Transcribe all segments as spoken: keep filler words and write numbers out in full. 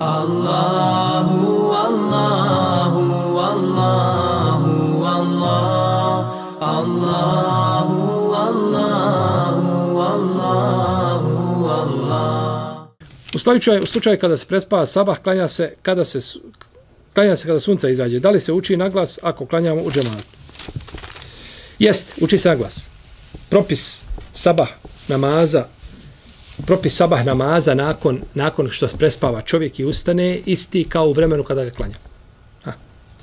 Allahu, Allahu, Allahu, Allah, Allahu, Allahu, Allahu, Allah. U slučaju, u slučaju kada se prespava sabah, klanja se kada se klanja se kada sunce izađe. Da li se uči naglas ako klanjamo u džematu? Jest, uči se naglas. Propis sabah namaza, propis sabah namaza nakon, nakon što prespava čovjek i ustane, isti kao u vremenu kada ga klanja. Ha.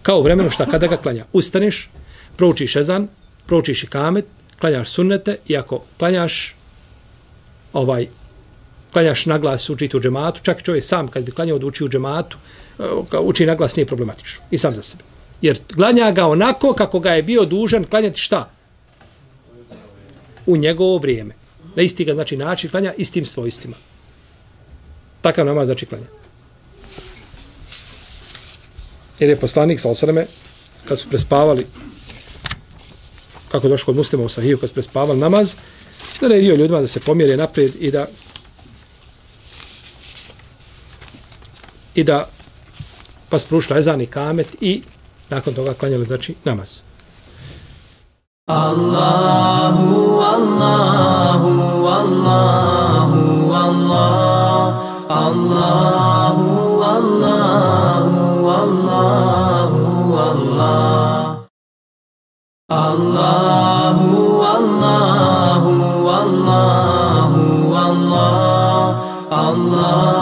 Kao u vremenu što kada ga klanja. Ustaneš, proučiš ezan, proučiš ikamet, klanjaš sunnete i ako klanjaš ovaj, klanjaš naglas učiti u džematu, čak čovjek sam kad bi klanjao da uči u džematu, uči naglas nije problematično. I sam za sebe. Jer klanja ga onako kako ga je bio dužan klanjati šta? U njegovo vrijeme. Na isti ga znači način klanja istim svojstvima. Takav namaz znači klanja. Jer je poslanik sallallahu alejhi ve selleme kad su prespavali, kako je došlo kod Muslima u Sahiju, kad su prespavali namaz, naredio ljudima da se pomjere naprijed i da i da pa sprušla ezan i kamet i nakon toga klanjali znači namaz. Allahu, Allahu, Allahu, Allah, Allahu, Allahu, Allahu, Allah. Allahu, Allahu, Allahu, Allah, Allah.